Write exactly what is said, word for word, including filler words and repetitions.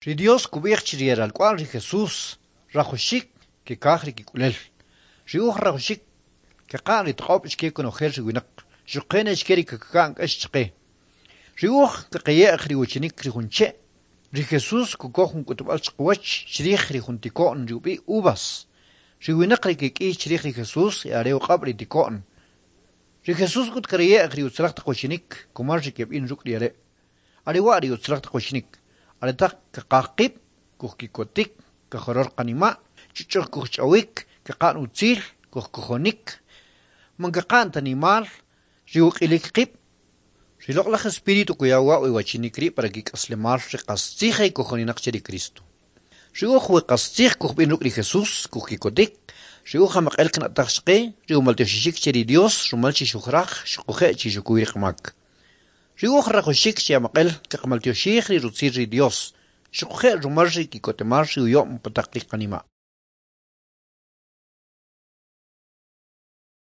Ri Dios kub'ij chi ri e ralk'wa'l ri Jesús rajawaxik kikaj ri kik'ulel. Ri uj rajawaxik kaqa'n ri toq'ob' chike konojel ri winaq, xuquje' ne chike ri kaka'n k'ax chaqe. Ri uj kaqaye'j ri uwachinik ri jun che'. Ri Jesús kukoj jun k'utb'al chiqawach chrij ri jun tiko'n ri ub'i' uvas. Ri winaq ri kek'iy chrij ri Jesús e are uq'ab' ri tiko'n. Ri Jesús k'ut karaye'j ri utzalaj taq wachinik kumal ri keb'in ruk' ri are'. Are wa' ri utzalaj taq wachinik. Are taq kaqaj qib', kujki'kotik, kajoror qanima', ch'uch'uj kujch'awik, kaqa'n utzil, kujkojonik, man kaqa'n ta nimal, ri uq'ilik qib'. Ri Loq'alaj Espíritu kuya wa' we wachinik ri' para kik'aslemal ri qastzij e kojoninaq che ri Cristo. Ri uj we qastzij kujb'in ruk' ri Jesús, kujki'kotik, ri uj amaq'el kana'taj chaqe, ri umaltyoxixik che ri Dios rumal chi xujraj xuquje' chi xukuy ri qamak. Ri uj rajawaxik chi amaq'el kaqamaltyoxij ri rutzil ri Dios, xuquje' rumal ri ki'kotemal ri uyo'm pa taq ri qanima'.